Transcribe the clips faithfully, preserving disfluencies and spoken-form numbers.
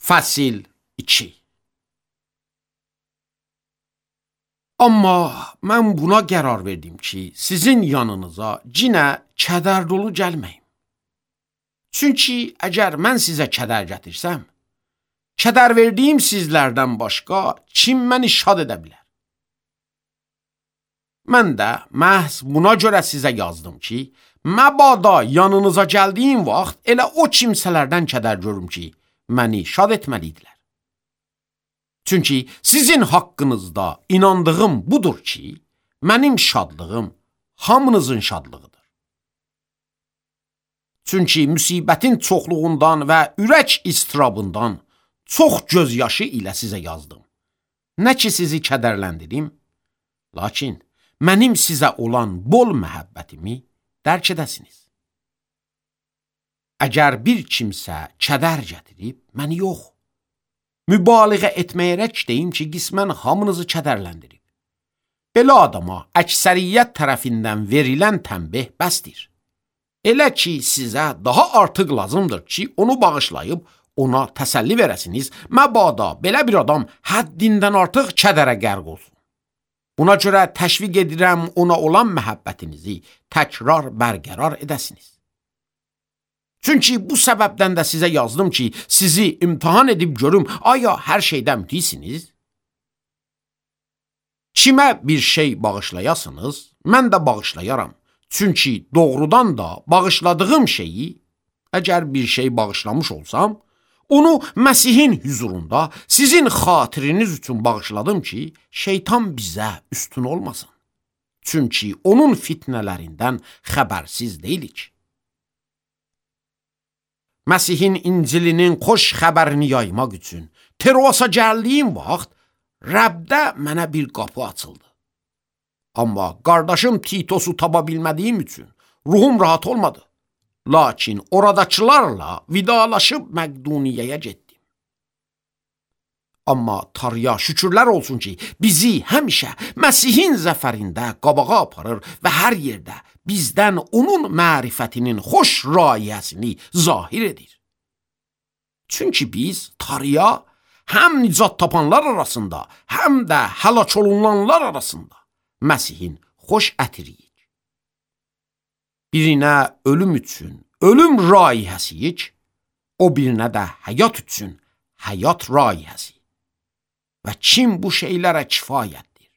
Fəsil iki. Amma mən buna qərar verdim ki, sizin yanınıza cinə kədər dolu gəlməyim. Çünki əgər mən sizə kədər gətirsəm, kədər verdiyim sizlərdən başqa kim məni şad edə bilər? Mən də məhz buna görə sizə yazdım ki, məbada yanınıza gəldiyim vaxt elə o kimsələrdən kədər görüm ki, məni şad etməliydilər. Çünki sizin haqqınızda inandığım budur ki, mənim şadlığım hamınızın şadlığıdır. Çünki müsibətin çoxluğundan və ürək istirabından çox gözyaşı ilə sizə yazdım. Nə ki sizi kədərləndirim, lakin mənim sizə olan bol məhəbbətimi dərk edəsiniz. Əgər bir kimsə kədər gətirib, məni yox, mübaliğə etməyərək deyim ki, qismən hamınızı kədərləndirib. Belə adama əksəriyyət tərəfindən verilən tənbih bəsdir. Elə ki, sizə daha artıq lazımdır ki, onu bağışlayıb, ona təsəlli verəsiniz, məbada belə bir adam həddindən artıq kədərə qərq olsun. Buna görə təşviq edirəm ona olan məhəbbətinizi təkrar bərqərar edəsiniz. Çünki bu səbəbdən də sizə yazdım ki, sizi imtihan edib görüm, aya hər şeydən mütisiniz? Kimə bir şey bağışlayasınız, mən də bağışlayaram. Çünki doğrudan da bağışladığım şeyi, əgər bir şey bağışlamış olsam, onu Məsihin hüzurunda sizin xatiriniz üçün bağışladım ki, şeytan bizə üstün olmasın. Çünki onun fitnələrindən xəbərsiz deyilik. Məsihin İncilinin xoş xəbərini yaymaq üçün Troasa gəldiyim vaxt Rəbdə mənə bir qapı açıldı. Amma qardaşım Titosu tapa bilmədiyim üçün ruhum rahat olmadı. Lakin oradakılarla vidalaşıb Məqduniyyəyə getdim. Amma Tanrıya şükürlər olsun ki, bizi həmişə Məsihin zəfərində qabağa aparır və hər yerdə bizdən onun mərifətinin xoş rayəsini zahir edir. Çünki biz Tanrıya həm nicat tapanlar arasında, həm də həlak olunanlar arasında Məsihin xoş ətiriyik. Birinə ölüm üçün ölüm rayihəsiyik, o birinə də həyat üçün həyat rayihəsi. Və kim bu şeylərə kifayətdir?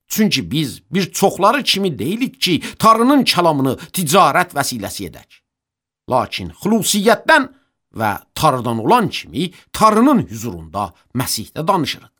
Çünki biz bir çoxları kimi deyilik ki, Tanrının kəlamını ticarət vəsiləsi edək. Lakin xüsusiyyətdən və Tanrıdan olan kimi Tanrının hüzurunda Məsihdə danışırıq.